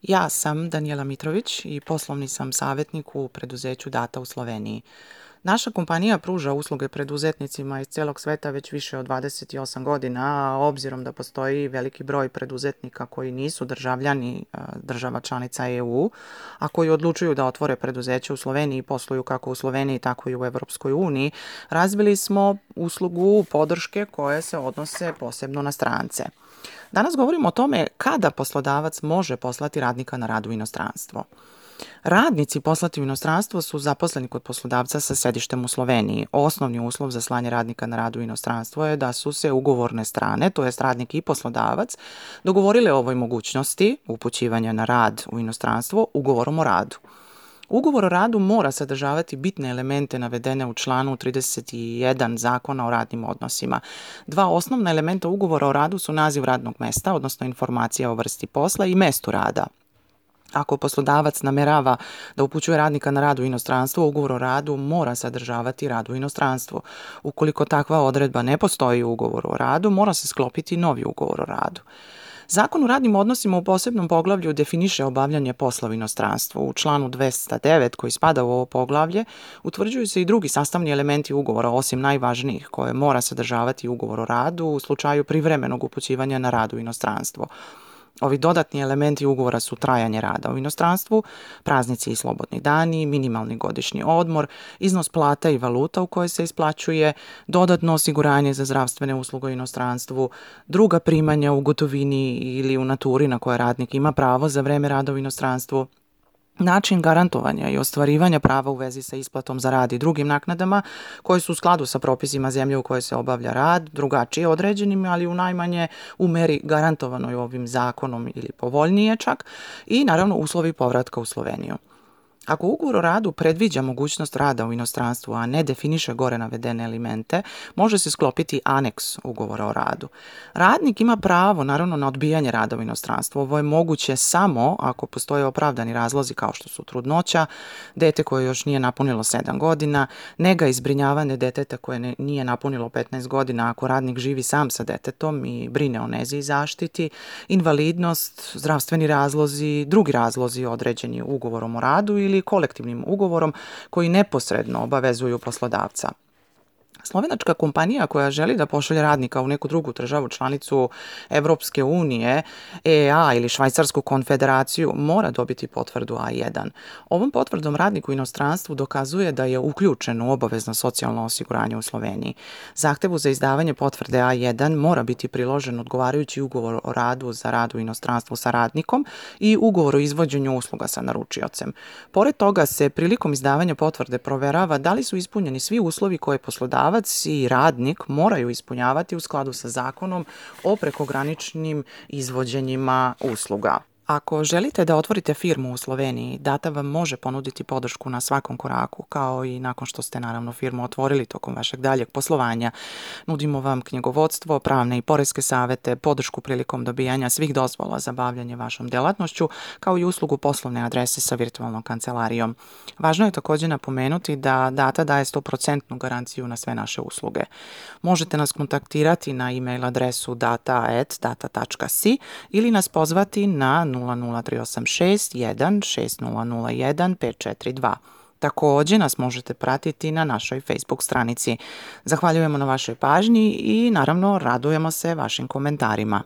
Ja sam Danijela Mitrović i poslovni sam savjetnik u preduzeću Data u Sloveniji. Naša kompanija pruža usluge preduzetnicima iz cijelog sveta već više od 28 godina, a obzirom da postoji veliki broj preduzetnika koji nisu državljani država članica EU, a koji odlučuju da otvore preduzeće u Sloveniji i posluju kako u Sloveniji, tako i u Europskoj uniji, razvili smo uslugu podrške koje se odnose posebno na strance. Danas govorimo o tome kada poslodavac može poslati radnika na rad u inostranstvo. Radnici poslati u inostranstvo su zaposleni kod poslodavca sa sedištem u Sloveniji. Osnovni uslov za slanje radnika na rad u inostranstvo je da su se ugovorne strane, to jest radnik i poslodavac, dogovorile o ovoj mogućnosti upućivanja na rad u inostranstvo ugovorom o radu. Ugovor o radu mora sadržavati bitne elemente navedene u članu 31 Zakona o radnim odnosima. Dva osnovna elementa ugovora o radu su naziv radnog mesta, odnosno informacija o vrsti posla i mestu rada. Ako poslodavac namerava da upućuje radnika na rad u inostranstvo, ugovor o radu mora sadržavati rad u inostranstvu. Ukoliko takva odredba ne postoji u ugovoru o radu, mora se sklopiti novi ugovor o radu. Zakon o radnim odnosima u posebnom poglavlju definiše obavljanje posla u inostranstvu. U članu 209 koji spada u ovo poglavlje utvrđuju se i drugi sastavni elementi ugovora, osim najvažnijih, koje mora sadržavati ugovor o radu u slučaju privremenog upućivanja na rad u inostranstvo. Ovi dodatni elementi ugovora su trajanje rada u inostranstvu, praznici i slobodni dani, minimalni godišnji odmor, iznos plata i valuta u kojoj se isplaćuje, dodatno osiguranje za zdravstvene usluge u inostranstvu, druga primanja u gotovini ili u naturi na koje radnik ima pravo za vreme rada u inostranstvu, način garantovanja i ostvarivanja prava u vezi sa isplatom za rad i drugim naknadama koje su u skladu sa propisima zemlje u kojoj se obavlja rad, drugačije određenim, ali u najmanje u meri garantovanoj ovim zakonom ili povoljnije čak, i naravno uslovi povratka u Sloveniju. Ako ugovor o radu predviđa mogućnost rada u inostranstvu, a ne definiše gore navedene elemente, može se sklopiti aneks ugovora o radu. Radnik ima pravo, naravno, na odbijanje rada u inostranstvu. Ovo je moguće samo ako postoje opravdani razlozi kao što su trudnoća, dete koje još nije napunilo 7 godina, nega i zbrinjavanje deteta koje nije napunilo 15 godina ako radnik živi sam sa detetom i brine o nezi i zaštiti, invalidnost, zdravstveni razlozi, drugi razlozi određeni ugovorom o radu ili kolektivnim ugovorom koji neposredno obavezuju poslodavca. Slovenačka kompanija koja želi da pošalje radnika u neku drugu državu članicu Evropske unije, EEA ili Švajcarsku konfederaciju mora dobiti potvrdu A1. Ovom potvrdom radnik u inostranstvu dokazuje da je uključen u obavezno socijalno osiguranje u Sloveniji. Zahtevu za izdavanje potvrde A1 mora biti priložen odgovarajući ugovor o radu za rad u inostranstvu sa radnikom i ugovor o izvođenju usluga sa naručiocem. Pored toga se prilikom izdavanja potvrde proverava da li su ispunjeni svi uslovi koje poslodavac i radnik moraju ispunjavati u skladu sa zakonom o prekograničnim izvođenjima usluga. Ako želite da otvorite firmu u Sloveniji, Data vam može ponuditi podršku na svakom koraku, kao i nakon što ste naravno firmu otvorili tokom vašeg daljeg poslovanja. Nudimo vam knjigovodstvo, pravne i poreske savete, podršku prilikom dobijanja svih dozvola za bavljanje vašom delatnošću, kao i uslugu poslovne adrese sa virtualnom kancelarijom. Važno je također napomenuti da Data daje 100% garanciju na sve naše usluge. Možete nas kontaktirati na e-mail adresu data@data.si ili nas pozvati na 00386 1 6001 542. Također nas možete pratiti na našoj Facebook stranici. Zahvaljujemo na vašoj pažnji i naravno radujemo se vašim komentarima.